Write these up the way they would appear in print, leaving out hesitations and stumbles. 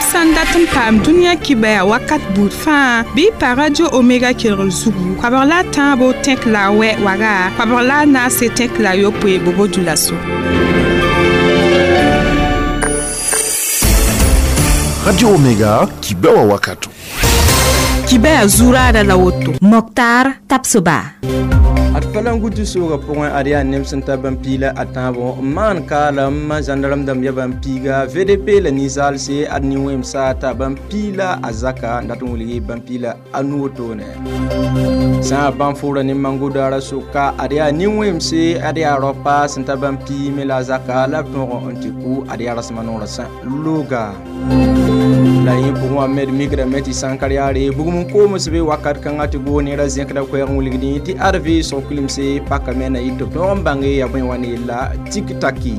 Yãmb sã n dat n paam dũniyã kibaya wakat buud fãa bɩ y pa Radio Omega kelgr zugu koabg la a tãabo tẽk la a wɛ waga koabg la a naase tẽk la a yopoe bobo dulaso. Radio Omega kibewa wakato. Kibaya zuraada la woto. Moktar Tapsoba. Ad falangutu sooga pʋgẽ ad yaa neb sẽn ta bãmb piila a tãabo n maan kaalem zãndarem dãmb ya bãmb piiga VDP la ninsaalse ad nin-wẽmsa t'a bãmb piila a zaka n dat n wilg bãmb piila a nu wotone sã a bãmb fʋʋra ne mangodaara soka ad yaa nin-wẽmse ad yaa raopa sẽn ta bãmb pii me la a zaka la b tõog n tɩ kʋ ad yaa rasema noorã sã looga la yẽ pʋgẽ wã me d mikrame tɩ sãnkar yaare bugum n koms be wakat kãngã tɩ goo neera zẽkda koɛɛg n wilgdẽ tɩ ad vɩɩsg kulimse pakame na yɩ tɩ b tõog n bãnge yaa bõe wa ne yella tik-taki.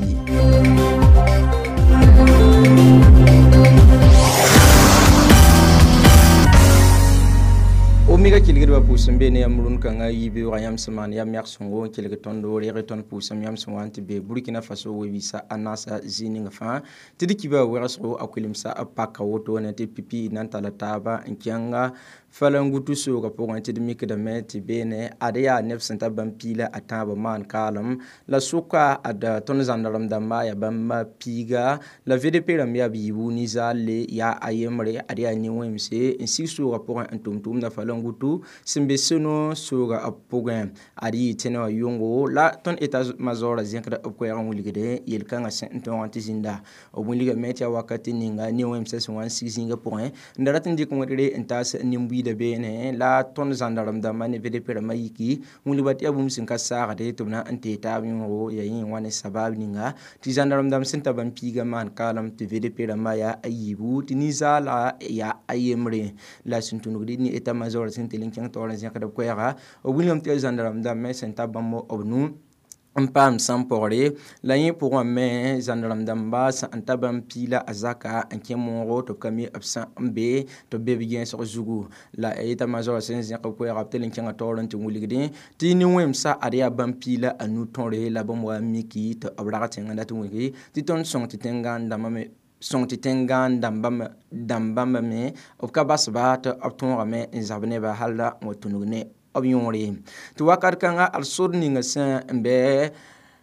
Omega kelgdbã pʋʋsem be ne yãmb rũn-kãngã yibeoogã yãmb sẽn maan yam yag sõngo n kelg tõndo reeg tõnd pʋʋsem yãmb sẽn wa n tɩ be Burkina Faso we-biisã a naasã zĩig ning fãa tɩ d kiba wegsgo a kuilemsa b paka wotone tɩ pipi na n talla taaba n kẽnga falangutu sooga pʋgẽ tɩ d mikdame tɩ beene ad yaa neb sẽn ta bãmb piila a tãabã maan kaalem la sʋka ad tõnd zãndarem dãmba yaa bãmb piiga la VDP rãmb yaa b yiibu ninsaale yaa a yembre ad yaa nin-wẽmse n sig sooga pʋgẽ n tʋm tʋʋmda falangutu sẽn be seno sooga b pʋgẽ ad yɩ tẽne wã yʋngo la tõnd état-major zẽkda b koɛɛg n wilgde yel-kãngã sẽn n tõog n tɩ zĩnda b wilgame tɩ yaa wakat ninga nin-wẽmsã sẽn wa n sig zĩigã pʋgẽ n da rat n dɩk wẽdre n taas nin-buiida beene la tõnd zãndarem dãmbã ne VDP rãmbã yiki wilgba tɩ yaa bũmb sẽn ka saagde tɩ b na n tee taab yõogo yaa yẽ wã ne sabab ninga tɩ zãndarem dãmb sẽn ta bãmb piigã maan kaalem tɩ VDP rãmbã yaa a yiibu tɩ ninsaala yaa a yembre la sẽn tũnugd ne état-major sẽn tɩ n kẽng taoor n zẽkd b koɛɛga b wilgame tɩ yaa zãndarem dãmb me sẽn ta bãmb b nu n paam sãn-pɔgre la yẽ pʋgẽ me zãndarem dãmba sẽn n ta bãmb piila a zaka n kẽ moogo tɩ b ka mi b sã n be tɩ b be b gẽesg zugu la état-major sẽn zẽk b koɛɛga b tɩ n kẽngã taoor n tɩ wilgdẽ tɩ nin-wẽmsã ad yaa bãmb piila a nu tõre la bãmb wa n miki tɩ b rag tẽngã dat n wilgi tɩ tõnd sõng tɩ tẽn-gãan dãmbã me sõng tɩ tẽn-gãan dãmbã me b ka basba tɩ b tõogame n zab neba hal la n wa tũnug ne b yõore tɩ wakat kãnga ad sor ninga sẽn n bɩ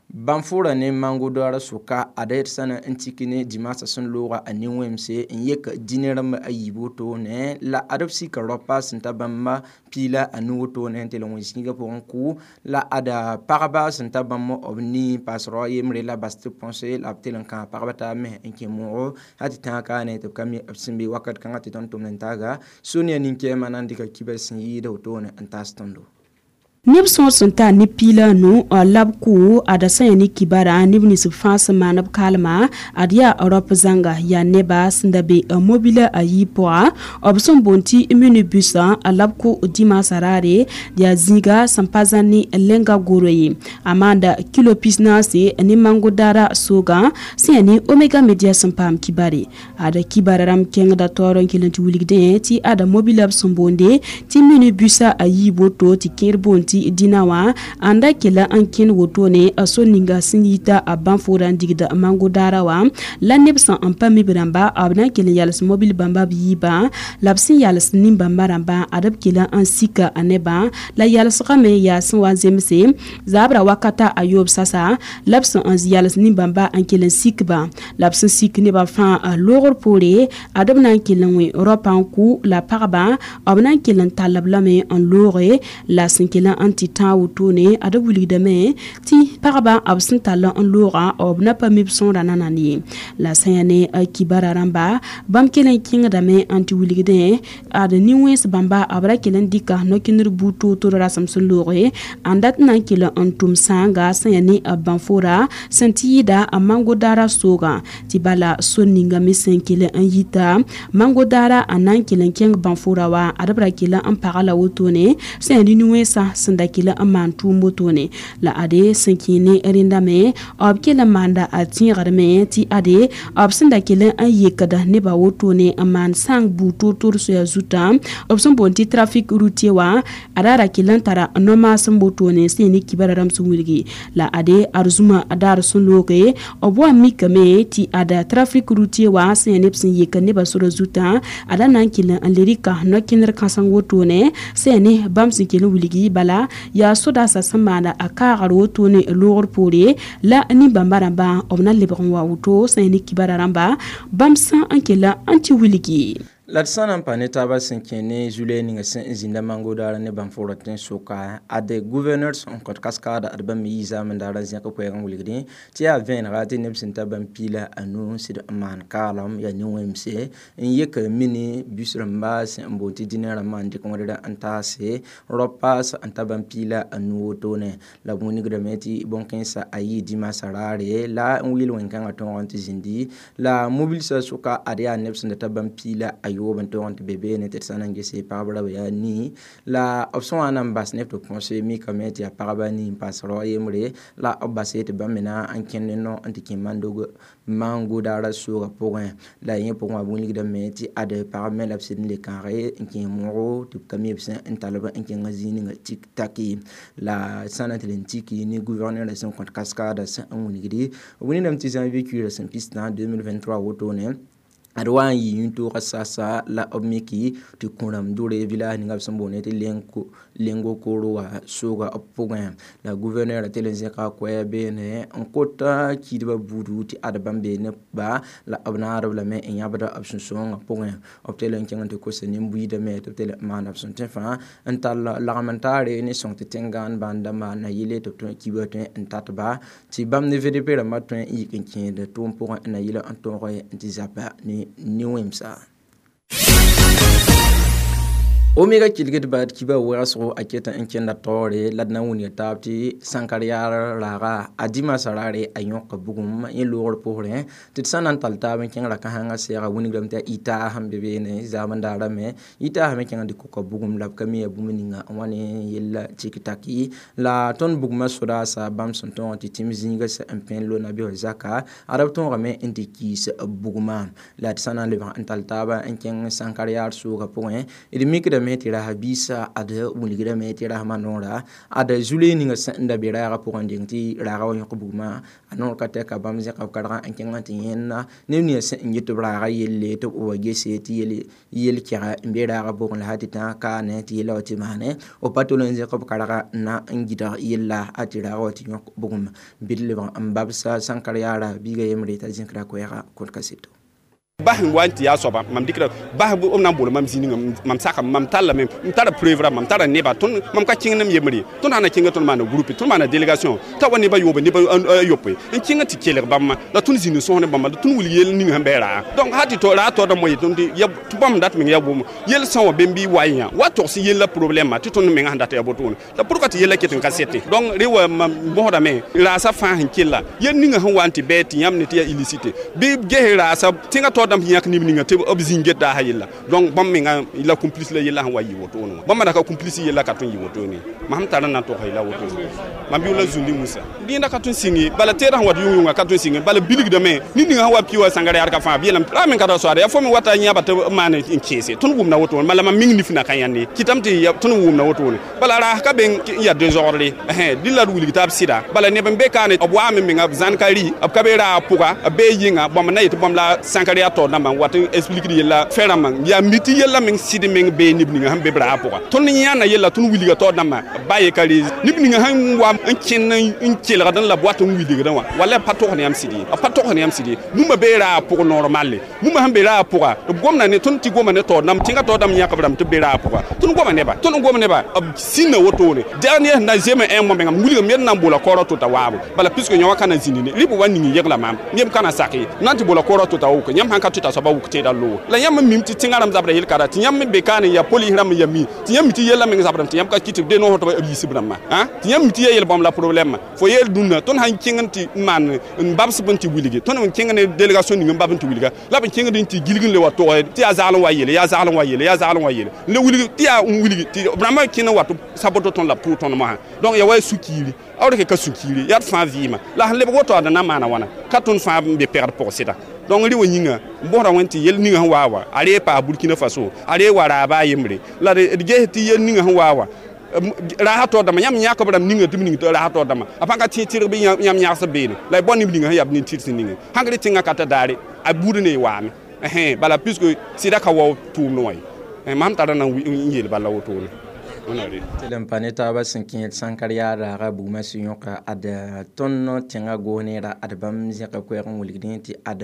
bãmb fʋʋra ne mangodaarã sʋka ad d sã na n tik ne dimaasã sẽn looga a nin-wẽmse n yek dĩnã rãmb a yiib wotone la ad b sika raopa sẽn ta bãmb piila a nu wotone n tɩ l wẽ zĩigã pʋgẽ kʋ la ad pagba sẽn ta bãmb b nii paas rao yembre la bas tɩ põse la b tɩ l n kãag pagba taab me n kẽ moogo hal tɩ tãag kaane tɩ b ka mi b sẽn be wakat kãngã tɩ tõnd tʋmd n taaga Sonia nin-kɛɛmã na n dɩka kiba sẽn yɩɩda wotone n taas tõndo. Neb sõor sẽn tar ne piila nu la b kʋ ada sã yaa ne kibara neb nins b fãa sẽn maan b kaalma ad yaa rɔp zãnga yaa neba sẽn da be mobila a yii pʋga b sẽn boond tɩ minibus la b kʋ dimaasã raare yaa zĩiga sẽn pa zãn ne lenga goro ye a maanda kilo pisnaase ne mangodaara soogã sẽn yaa ne Omega Media sẽn paam kibare ada kibara rãmb kẽngda taoor n kell n tɩ wilgdẽ tɩ ada mobila b sẽn boonde tɩ minibus a yii boto tɩ kẽer boond tɩ dĩnã wã n da kela n kẽnd wotone a so ninga sẽn yita a bãn-foora n digda mangodaara wã la neb sẽn n pa mi b rãmba b na n kell n yals mobil bãmba b yiibã la b sẽn yals nin-bãmba rãmbã ad b kela n sika a nebã la yalsgame yaa sẽn wa n zemse zaabra wakata a yoob sasa la b sẽn n yals nin-bãmba n kell n sikba la b sẽn sik nebã fãa loogr poore ad b na n kell n wẽ raopã n kʋ la pagba b na n kell n tall b lame n looge la sẽn kell n tɩ tãag wotone ad b wilgdame tɩ pagba b sẽn tall n loogã b na pa mi b sõora nanand ye la sã yaa ne kibara rãmba bãmb kell n kẽngdame n tɩ wilgdẽ ad nin-wẽns bãmba b ra kell n dɩka no-kẽndr buud toor-toor rasem sẽn looge n dat n na n kell n tʋm sãanga sẽn yaa ne bãn-foora sẽn tɩ yɩɩda a mangodaara soogã tɩ bala sor ninga me sẽn kell n yita mangodaara n na n kell n kẽng bãn-foora wã ad b ra kell n paga la wotone sẽn yaa ne nin-wẽnsã sẽn sẽn da kɩl n maan tʋʋm wotone la ade sẽn kẽ ne rẽndame b kell n maanda a tẽegdme tɩ ade b sẽn da kell n yekda nebã wotone n maan sãng buud toor-toor soya zutã b sẽn boond tɩ trafic routier wã a ra kell n tara no-maasem wotone sẽn yaa ne kibara rãmb sẽn wilgi la ade ad zũma daar sẽn looge b wa mikame tɩ ada trafic routier wã sẽn yaa neb sẽn yek nebã sora zutã ada na n kell n le rɩka no-kẽnder kãseng wotone sẽn yaa ne bãmb sẽn kell n wilgi bala yaa sodaasã sẽn maanda a kaagr wotone loogr poore la nin-bãmba rãmbã b na lebg n wa woto sẽn yaa ne kibara rãmba bãmb sã n kell n tɩ wilgi. La d sã na n pa ne taabã sẽn kẽ ne zu-loɛɛ ninga sẽn n zĩnda mango-daar ne bãmb-fʋgrã tẽn-soka ade gouverneur sẽn kõt kaskaada ad bãmb yi zaamend-daarã zẽk koɛɛg n wilgdẽ tɩ yaa vẽenega tɩ neb sẽn ta bãmb piila a nu sɩd n maan kaalem yaa ne-wẽmse n yek mini bus rãmba sẽn n boond tɩ dĩnã rãmbã n dɩk wẽdra n taase rao-paas n ta bãmb piila a nu wotone la b wilgdame tɩ bõn-kẽensã a yɩ dimaasã raare la n wɩɩl wẽn-kãngã tõog n tɩ zĩndi la mobilsã sʋka ad yaa neb sẽn da ta bãmb piila a yoob n tõog n tɩ be beene tɩ d sã na n gese pagb ra yaa nii la b sẽn wa na n bas neb tɩ põse mikame tɩ yaa pagba nii n paas rao yembre la b base tɩ bãmb me na n kẽnd ne no n tɩ kẽ mango-daarã soogã pʋgẽ la yẽ pʋgẽ wã b wilgdame tɩ ad pagb me la b sɩd n le kãage n kẽ moogo tɩ b ka mi b sẽn n talb n kẽngã zĩig ninga tik-taki la sã na tɩ le n tiki ne gouverneur sẽn kõt kaskaada sẽn n wilgdi b wilgdame tɩ janvier kuiirã sẽn pistã 2023 wotone ad wa n yɩ yĩn-toogã sasa la b miki tɩ kõ-rãmb dʋre village ninga b sẽn boond tɩ lengo koro wã sooga b pʋgẽ la gouverneur tɩ le zẽka koɛɛ beene n kota kiidbã buudu tɩ ad bãmb bee ne ba la b naadb lame n yãbda b sũ-sãoongã pʋgẽ b tɩ le n kẽng tɩ kosa nin-buiidame tɩ b tɩ le n maana b sẽn tõe fãa n tall lagm n taare ne sõng tɩ tẽn-gãan bãnd dãmba na yɩle tɩ b tõe kibã tõe n tatba tɩ bãmb ne VDP rãmbã tõe n yik n kẽed tʋʋm pʋgẽ na yɩl n tõog n tɩ zapa ne ne-wẽmsa. Omega kilgd baad kiba wɛgsgo a ket n kẽnda taoore la d na n wilga taab tɩ sãnkar yaar raaga a dimaasã raare a yõka bugum yẽ loogr pʋsrẽ tɩ d sã na n tall taab n kẽng ra-kãsengã sɛɛga wilgdame tɩ yaa ɩtaas sẽn be beene zaamend-daarame ɩtaasã me kẽng dɩ koka bugum la b ka mi yaa bũmb ninga n wa ne yella tik-taki la tõnd bugmã sodaasã bãmb sẽn tõog tɩ tĩm zĩiga sẽn n pẽ lo-nabiisã zaka ad b tõogame n tɩ kiis bugmã la d sã na n lebg n tall taaba n kẽng sãnkar yaar soogã pʋgẽ d mikdame tɩ rasã biisã ad wilgdame tɩ rasmã noora ad zu-loee ninga sẽn da be raagã pʋgẽ deng tɩ raagã wa yõk bugmã a noor ka tɛka bãmb zẽka b kargã n kẽng n tɩ yẽnna neb ninga sẽn n get b raagã yelle tɩ b wa gese tɩ yel-kɛga n be raagã pʋgẽ la sã tɩ tã kaane tɩ yella wa tɩ maane b pa tol n zẽk b karga n na n gɩdg yella a tɩ raagã wa tɩ yõk bugum bɩ d lebg n babsa sãnkar yaara biiga yembre t'a zẽkra koɛɛga kõt kaseto. Bas n wa n tɩ yaa soaba mam dɩkra bas b na n bool mam zĩnigã mam saka mam tallame m tara preuve rã mam tara neba tõnd mam ka kẽng nem yembre tõnd sã na kẽnga tõnd maana groupe tõnd maana délégation t'a wa neba yoobe neba a yopoe n kẽnga tɩ kelg bãmba la tõnd zĩnd sõs ne bãmba la tõnd wilg yell ning sẽn bɩ raa donc sã tɩ raa taoodã moa yetõnd tɩ bãmb dat meng yaa bʋʋm yell sã wã bẽmb bɩ wa yã wa togs yella problɛmã tɩ tõnd menga sẽn dat yaa wotone la pourquoi tɩ yella ket n ka sete donc re wa mam bõsdame raasa fãa sẽn kella yell ninga sẽn wa n tɩ bɩ tɩ yãmb ne tɩ yaa illicite bɩ ges raasa tẽngã taood dãmb yãk neb ninga tɩ b zĩng get daasã yella donc bãmb menga la complice la yella sẽn wa yɩ wotone wã bãmb da ka complice yella ka tõe n yɩ wotone mam sẽn tar n na n togs yella wotone mam yʋʋla zũndi wũsa dẽenda ka tõe n sɩng bala teedã sẽn wat yʋng-yʋnga ka tõe n sɩng bala bilgdame ned ninga sẽn wa pi wa sãngar yaad ka fãa b yeelame ra me ka ra soaada yaa fo me wata yãba tɩ b maan n kẽese tõnd wʋmda wotone bala mam ming nifna ka yãnde kɩtame tɩ tõnd wʋmda wotone bala raas ka be n yaa dezordre dẽ la d wilg t'a b sɩda bala neb n be kaane b waame menga b zãn ka rɩ b ka be raag pʋga b bee yɩnga bãmb na yetɩ bãmb la sãnkar yaa taoor dãmbã n wat n expliquer yella fɛn rãmbã yaa mi tɩ yella meng sɩd meng bee neb ninga sẽn be b raag pʋga tõnd yãna yella tõnd wilga taoor dãmbã ba ye ka re neb ninga sẽn wa n kẽnd n kelgd n la b wat n wilgdẽ wã wala b pa togs ne yãmb sɩd ye b pa togs ne yãmb sɩd ye bũmba bee raag pʋg normalle bũmba sẽn be raag pʋga b gomda ne tõnd tɩ goma ne taoor dãmb tẽngã taoor dãmb yãk b rãmb tɩ b be raag pʋga tõnd goma neba tõnd gom neba b sĩnda wotone dernier sẽn na zeme ẽ moa menga m wilgame d na n boola kaoorã to-ta waabo bala puisque yã wã ka na zĩndi ne rɩ b wa ning yegla maam yem ka na sak ye na n tɩ boola kaoorã to-ta woke yãmb sãn ka ka tɩ t'a soaba wʋk tẽedã loog la yãmb mim tɩ tẽngã rãmb zabra yel-kara tɩ yãmb me be kaane ya polis rãmb ya mi tɩ yãmb mi tɩ yellã meng zabrame tɩ yãmb ka kɩ tɩ de noor tɩ b yiisb rãmbã tɩ yãmb mi tɩ ya yel-bãmb la problɛmã fo yeel dũnna tõnd sãn kẽng n tɩ maan n babsb n tɩ wilge tõnd n kẽng ne délégation ning n bab n tɩ wilga la b kẽngd n tɩ gilg n le wa tog tɩ yaa zagl n wa yeele yaa zagl n wa yeele yaa zagl n wa yeele n le wilg tɩ yaa n wilg tɩ b rãmbã kẽnd n wa tɩ saboto tõnd la b tʋʋg tõnd mosã donc ya wa sũ-kiiri a rɩk ka sũ-kiiri yaa d fãa vɩɩmã la sẽn lebg woto ad na maana wãna ka tõnd fãa n be pɛgd pʋg sɩda donc rɩ wã yĩnga n bosda wẽn tɩ yel ninga sẽn waa wa a ree paa Burkina Faso a ree wa raaba a yembre la d ges tɩ yel ninga sẽn waa wa raasa taoor dãmbã yãmb yãkb rãmb ninga tɩ b ning tɩ raasa taoor dãmbã a pãn ka tẽ tɩrg bɩ yãmb yãgsb beene la y bao neb ninga sẽn yaa b nin-tɩrs ninge sãn ka rɩ tẽngã ka ta daare a buud ne y waame bala puisque sɩda ka wao tʋʋmd wã ye mam tara na n yeel bala wotone tɩ n pa ne taabã sẽn kẽed sãnkar yaa raaga bugmã sẽn yõka ad tõnd tẽngã goos-neera ad bãmb zẽka koɛɛg n wilgdẽ tɩ ad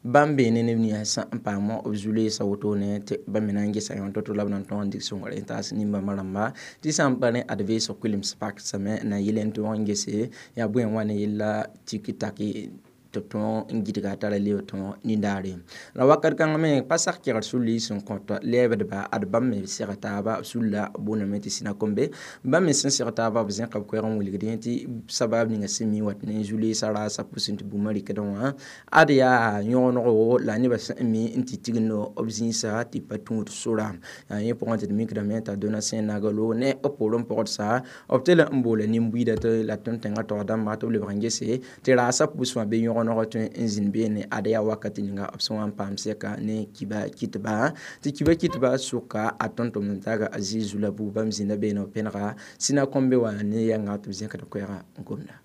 bãmb beene neb ninsã n paam b zu-loeesã wotone tɩ bãmb me na n gesa yõ to-to la b na n tõog n dɩk sõngr n taas nin-bãmbã rãmba tɩ sã n pa rẽ ad veesg kulems paksame na yɩl n tõog n gese yaa bõe n wa ne yella tiki-taki tɩ tõog n gɩdga tara leb tõog nindaare la wakat kãng me pa sak kegr sulli sẽn kõt lɛɛbdba ad bãmb me seg taaba b sulla booname tɩ sĩna kombe bãmb me sẽn seg taaba b zẽka b koɛɛg n wilgdẽ tɩ sabab ninga sẽn mi wat ne zu-loeesã raasã pʋsẽ tɩ bũmb rɩkdẽ wã ad yaa yõgenego la nebã sẽn mi n tɩ tigndo b zĩisa tɩ pa tũud sora yaa yẽ pʋgẽ tɩ d mikdame t'a Donatien Nagalo ne b poorẽ pɔgdsa b tɩ la n boola nin-buiida tɩ la tõnd tẽngã taoor dãmba tɩ b lebg n gese tɩ raasã pʋsẽ wã be yõgenego tõe n zĩnd beene ad yaa wakat ninga b sẽn wa n paam sɛka ne kiba kɩtba tɩ kiba kɩtba sʋka a tõnd-tʋmd n taaga a zɩɩ zu la buug bãmb zĩnda beene b pẽnega sĩna kõmbe wã ne yɛnga tɩ b zẽkd koɛɛga n gomda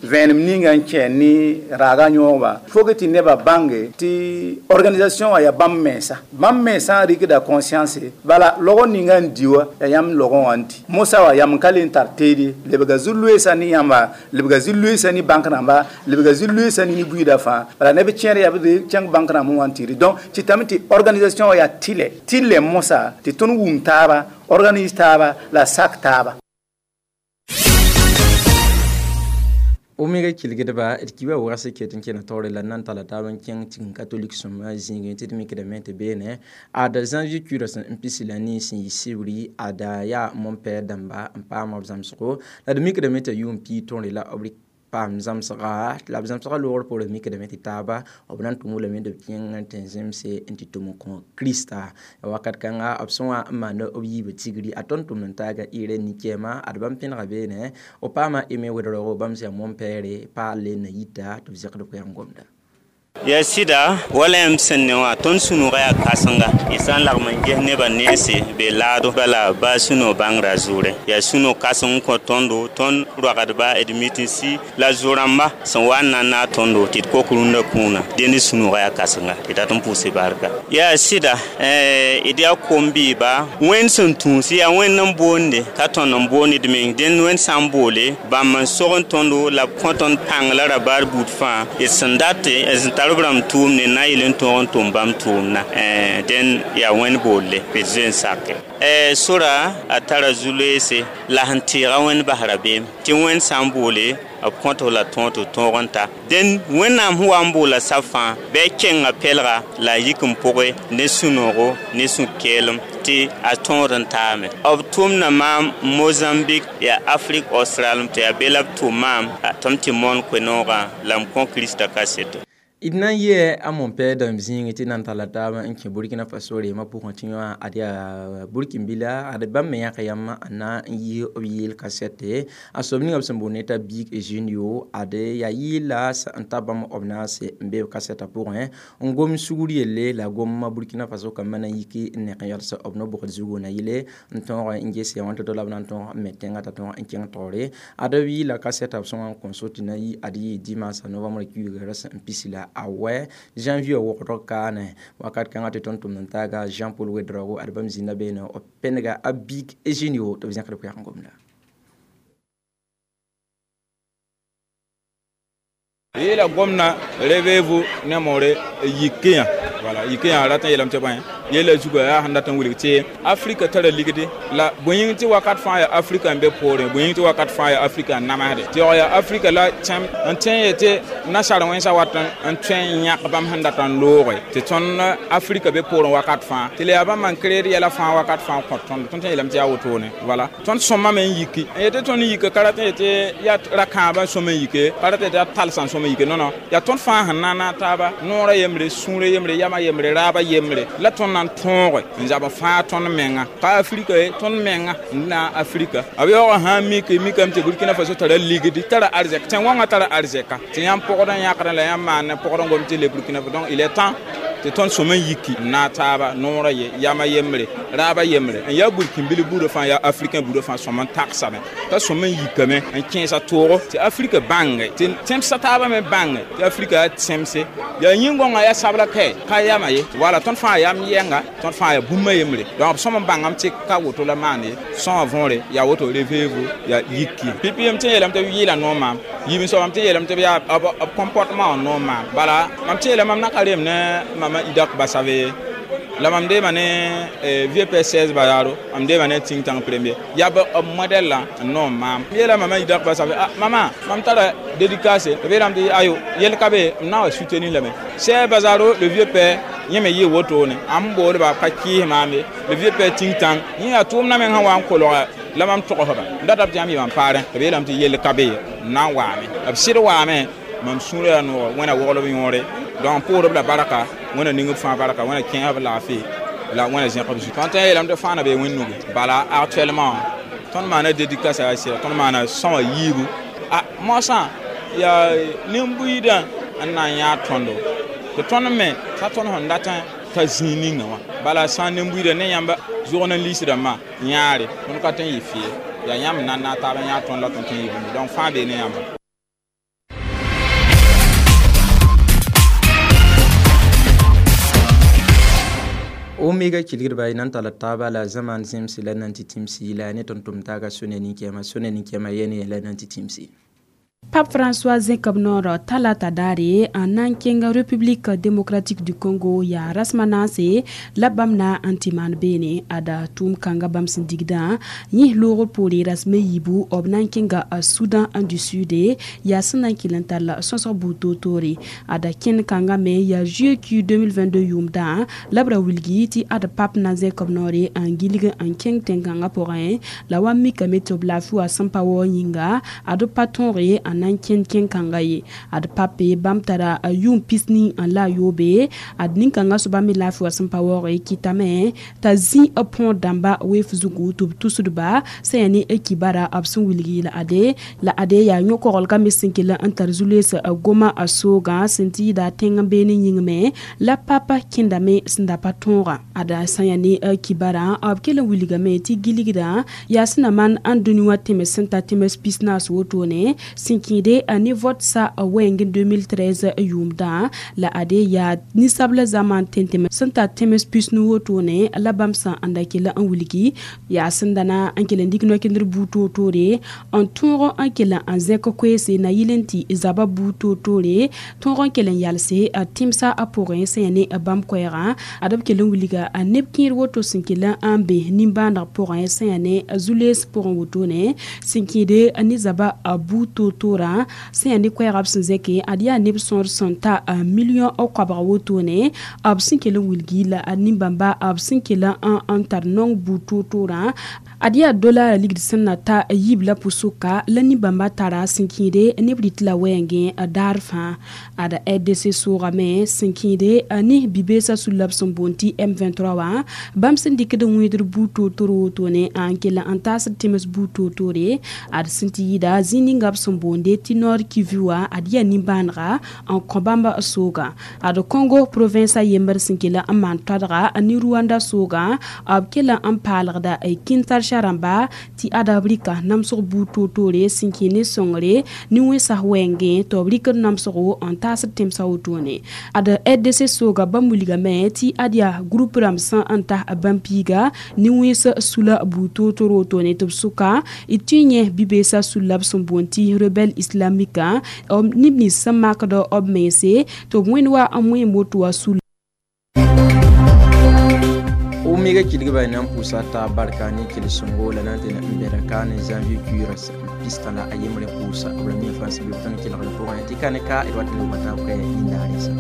vẽenem ninga n kẽ ne raaga yõogba fo tɩ nebã bãnge tɩ organisation wã yaa bãmb mensã bãmb mensã rɩkda conscience bala logr ninga n di wã yaa yãmb logẽ wã n di mosã wã yam n ka le n tar teede lebga zu-loeesã ne yãmba lebga zu-loeesã ne bãnk rãmba lebga zu-loeesã ne buiidã fãa bala neb kẽer yaa b kẽng bãnk rãmb wã n tɩ donc tɩ tame tɩ organisation wã yaa tɩlɛ tɩlɛ mosã tɩ tõnd wum taaba organise taaba la sak taaba Omega kilgdba d kiba wags ket n kẽna taoore la nan tala taab n kẽng tigim katolik sõma zĩigẽ tɩ d mikdame tɩ beene ada janvier kuirã sẽn n pisi la ne sẽn yɩ sibri ada yaa montpère dãmba n paama b zãmsgo la d mikdame t'a yʋʋm pii tõore la b paam zãmsga la b zãmsga loogr poorẽ mikdame tɩ taaba b na n tʋm lame tɩ b kẽng n tɩ zemse n tɩ tʋm n kõ krista wakat kãnga b sẽn wa n maanda b yiibã tigri a tõnd tʋmd n taaga ɩɩrɛ nin-kɛɛma ad bãmb pẽnega beene b paama eme wedroogo bãmb sẽn yaa montpère paal na yita tɩ b zẽkd koɛɛg n gomda Ya sɩda wala yãmb sẽn ne wã tõnd sũ-noogã yaa kãsenga y sã n lagm n ges nebã nense be laado bala baa sũ-noog bãngrã zʋʋrẽ yaa sũ-noog kãseng n kõ tõndo tõnd roagdba d mitinsi la zo-rãmba sẽn wa n na n naag tõndo tɩ d kok rũndã kũuna dẽnd sũ-noogã yaa kãsenga tɩ dat n pʋʋse barka yaa sɩda d yaa kom-bɩɩba wẽnd sẽn tũus yaa wẽnd n boonde ka tõnd n boond d meng dẽnd wẽnd sã n boole bãmb n sog n tõndo la b kõ tõnd pãng la ra baar buud fãa d sẽn date sẽn tar b rãmb tʋʋmne na yel n tõog n tʋm bãmb tʋʋmdã dẽn yaa wẽnd boolle tɩ d zoe n sake sora a tara zu-loeese la sẽn tɩɩga wẽnd bas rabeem tɩ wẽnd sã n boole b kõt la tõog tɩ tõog n ta dẽn wẽnnaam sẽn wa n boola sab fãa bɩ a kenga pɛlga la a yik n pʋgẽ ne sũ-noogo ne sũ-keelem tɩ a tõod n taame b tʋmda maam Mozambique yaa Afrique australe tɩ yaa be la b tʋm maam tɩ m tɩ moon koe-noogã la m kõ Krista kaseto d na n yɩ a montpère dãmb zĩigẽ tɩ nan talla taabã n kẽ Burkina Faso reemã pʋgẽ tɩ yõ ad yaa Burkinbila ad bãmb me yãka yãmb n na n yɩ b yɩɩl kasɛte a soab ninga b sẽn boond t'a Big Junio ad yaa yɩɩla n ta bãmb b naase n be b kasɛtã pʋgẽ n gom sugr yelle la gomma Burkina Faso kambã na n yiki n nek n yals b no-bʋgd zugu na yɩle n tõog n ges ya wãn to-to la b na n tõog n me tẽngã t'a tõog n kẽng taoore ad b yɩɩla kasɛtã b sẽn wa n kõ so tɩ na yɩ ad yɩ dimansa novembre kiuuga sẽn pisi la a wɛ janvier wʋgdg kaane wakat kãngã tɩ tõnd tʋmd n taaga Jean Paul Ouedraogo ad bãmb zĩnda beene b pẽnega a Big Eugenio tɩ b zẽkd koɛɛg n gomda yela gomna réveillez-vous ne more yikenya voilà yikenya ratan yelam tɩ bãe Yɛla zuga yaa sẽn dat n wilg tɩ Afrika tara ligdi la bõe yĩng tɩ wakat fãa yaa Afrika n be poorẽ, bõe yĩng tɩ wakat fãa yaa Afrika n namsde, tɩ yaoog yaa Afrika la tẽm n tẽ yetɩ nasaar wẽnsã wat n tõe n yãk bãmb sẽn dat n looge tɩ tõnd Afrika be poorẽ wakat fãa, tɩ la yaa bãmb n kreed yɛla fãa wakat fãa n kõt tõnd. Tõnd tõe n yeelame tɩ yaa wotone. Wala tõnd sõmame n yiki n yetɩ tõnd yika ka rat n yetɩ yaa ra-kãabã sõm n yike, ka rat n yetɩ yaa talsã n sõm n yike. Non, yaa tõnd fãa sẽn na n taaba noorã yembre, sũurã yembre, yamã yembre, raabã yembre la tõnd na n tõoge n zab n fãag tõnd menga. Ka Afrika ye, tõnd menga n na Afrika. B yaoogã sã n mik, mikame tɩ Burkina Faso tara ligdi, tara arzɛk, tẽn-wãngã tara arzɛka, tɩ yãmb pɔgd n yãkdã la yãmb maan pɔgd n gom tɩ le Burkina Faso. Donc il est temps tɩ tõnd sõm n yiki n naag taaba noorã ye, yamã yembre, raabã yembre, n yaa burkĩnbil buudã fãa, yaa africain buudã fãa sõm n tagsame, t'a sõm n yikame n kẽesa toogo tɩ Afrika bãnge, tɩ tẽmsã taabã me bãnge tɩ Afrika yaa tẽmse, yaa yĩn-gõngã yaa sabla kae, ka yama ye. Wala tõnd fãa yam yɛnga, tõnd fãa yaa bũmba yembre. Donc b sõm n bãngame tɩ ka woto la maan ye. Sõa võore yaa woto, réveillez-vous, yaa yiki. Pipi m tɩ n yeelame tɩ b yɩɩla noor maam, yiib n soabame tɩ n yeelame tɩ b yaa b comportement wã noor maam. Bala mam tɩ yeelame mam na ka reem ne mama Idak Basave la mam deema ne VP 16 Bazaro, mam deema ne think tank premier, yaa b modèle la n noom maam. M yeela mama Idak Basave, ah mama, mam tara dédicace, b yeelame tɩ ayo yel ka be, m na n wa soutenir lame. 16 Bazaro, le vieux père, yẽ me yɩ wotone, ãmb boolba ka kɩɩs maam ye. Le vieux père think tank yẽ yaa tʋʋmdã meng sẽn wa n kolga la mam togsba n data b tɩ yãmb yɩ mam paarẽ, tɩ b yeelame tɩ yell ka be ye, n na n waame. B sɩd waame, mam sũurã yaa noog, Wẽnna woglb yõore. Donc pʋʋsd la barka, Wẽnna ning b fãa barka, Wẽnna kẽes b laafɩ la Wẽnna zẽk b zu. Tõnd tõe n yeelame tɩ fãa na bee wẽnd nugu. Bala actuellement tõnd maana dédicace yaa sɩda, tõnd maana sõma yiibu. A moasã yaa nin-buiidã n na n yãag tõndo, tɩ tõnd me t'a tõnd sẽn dat n ta zĩig ninga wã. Bala sã n nin-buiidã ne yãmb zʋgd n liis rãmbã yãare, tõnd ka tõe n yɩ fɩ, yaa yãmb n na n naag taab n yãag tõnd la tõnd tõe n yɩ bũmb. Donc fãa bee ne yãmba. Omega kilgdba y nan tall taaba la zamaan zẽmse la nan tɩ tĩmsi la ne tõnd tʋm taaga sũ-ne nin-kɛɛma, sũ-ne nin-kɛɛma yɛne la nan tɩ tĩmsi. Pape François zẽkb noor talata daare n na n kẽng République démocratique du Congo yaa rasem a naase la bãmb na n tɩ maan beene. Ada tʋʋm kãnga bãmb sẽn digdã yẽ loogr poore rasem a yiibu b na n kẽnga Soudan du Sud yaa sẽn na n kell n tall sõsg buud toor-toore. Ada kẽnd kãngã me yaa GQ 2022 yʋʋmdã la b ra wilgi tɩ ad pape na n zẽkb noore n gilg n kẽng tẽn-kãngã pʋgẽ la wa mikame tɩ b laafɩ wa sẽn pa waoog yĩnga ad pa tõoge n na n kẽnd kẽn-kãnga ye. Ad pape bãmb tara yʋʋm pisni n la a yoobe, ad nin-kãngã soaba me laafɩ wa sẽn pa waoog kɩtame t'a zĩ b põor dãmba weef zugu tɩ b tusdba sẽn yaa ne kibara b sẽn wilgi la ade la ade yaa yõ-koglgã me sẽn kell n tar zu-loees goma a soogã sẽn tɩ yɩɩda tẽng n beene yĩng me la papa kẽndame sẽn da pa tõogã. Ada sã n yaa ne kibarã b kell n wilgame tɩ gilgdã yaa sẽn na maan n dũni wã tẽms sẽn ta tẽms pisnaas wotone sẽn kẽede ne vote sa wɛɛng 2013 yʋʋmdã la ade yaa ninsabla zaman tẽn-tẽm sẽn ta tẽms pisnu wotone la bãmb sã n da kell n wilgi yaa sẽn da na n kell n dɩk no-kẽndr buud toor-toore n tõog n kell n zẽk koeese na yɩl n tɩ zaba buud toor-toore tõog n kell n yalse tẽmsã a pʋgẽ sẽn yaa ne bãmb koɛɛgã. Ad b kell n wilga neb kẽer woto sẽn kell n be nimbãaneg pʋgẽ sẽn yaa ne zu-lees pʋgẽ wotone sẽn kẽede ne zaba buud toor-toorã sẽn yaa ne koɛɛgã b sẽn zẽke ad yaa neb sõor sẽn ta million koabg wotone b sẽn kell n wilgi la nin-bãmba b sẽn kell n tar nong buud toor-toorã ad yaa dolar ligd sẽn na ta yiib la pʋsʋka la nin-bãmba tara sẽn kẽede neb rɩt la wɛɛngẽ daar fãa. Ad RDC soogame sẽn kẽede ne bi-beesã sulla b sẽn boond tɩ M23 wã bãmb sẽn dɩkd n wẽedr buud toor-toor wotone n kell n taasd tẽms buud toor-toore ad sẽn tɩ yɩɩda zĩig ninga b sẽn boonde tɩ Nord Kivu wã ad yaa nimbãanega n kõ bãmb soogã. Ad Congo province a yembr sẽn kell n maan toadga ne Rwanda soogã b kell n paalgda Kinshasa rãmba tɩ ad b rɩka namsg buud toor-toore sẽn kẽ ne sõngre ne wẽnsas wɛɛngẽ tɩ b rɩkd namsgo n taasd tẽmsã wotone. Ad RDC sooga bãmb wilgame tɩ ad yaa groupe rãmb sẽn n tas bãmb piiga ne wẽns sula buud toor-toor wotone tɩ b sʋka d tɩ yẽ bi-beesã sulla b sẽn boond tɩ rebelle islamique neb nins sẽn makd b mense tɩ b wẽnd wa n wẽem woto wã sul. Omega kilgba nan pʋʋsa taab barka ne kell-sõngo la na n tɩ n bɛda ka ne janvier kuiirã pistã la a yembre pʋʋsa b ra mi fãa sẽn be b tõnd kelgr pʋgẽ tɩ ka ne ka d wat n lobga taab ka yĩndaare sa.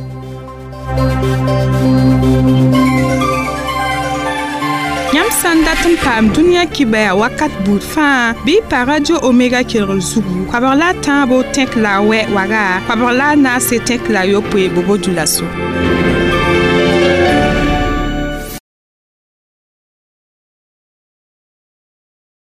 Yãmb sã n dat n paam dũniyã kibaya wakat buud fãa bɩ y pa radio Omega kelgr zugu koabg la a tãabo tẽk la a wɛ waga koabg la a naase tẽk la a yopoe bobo dulaso.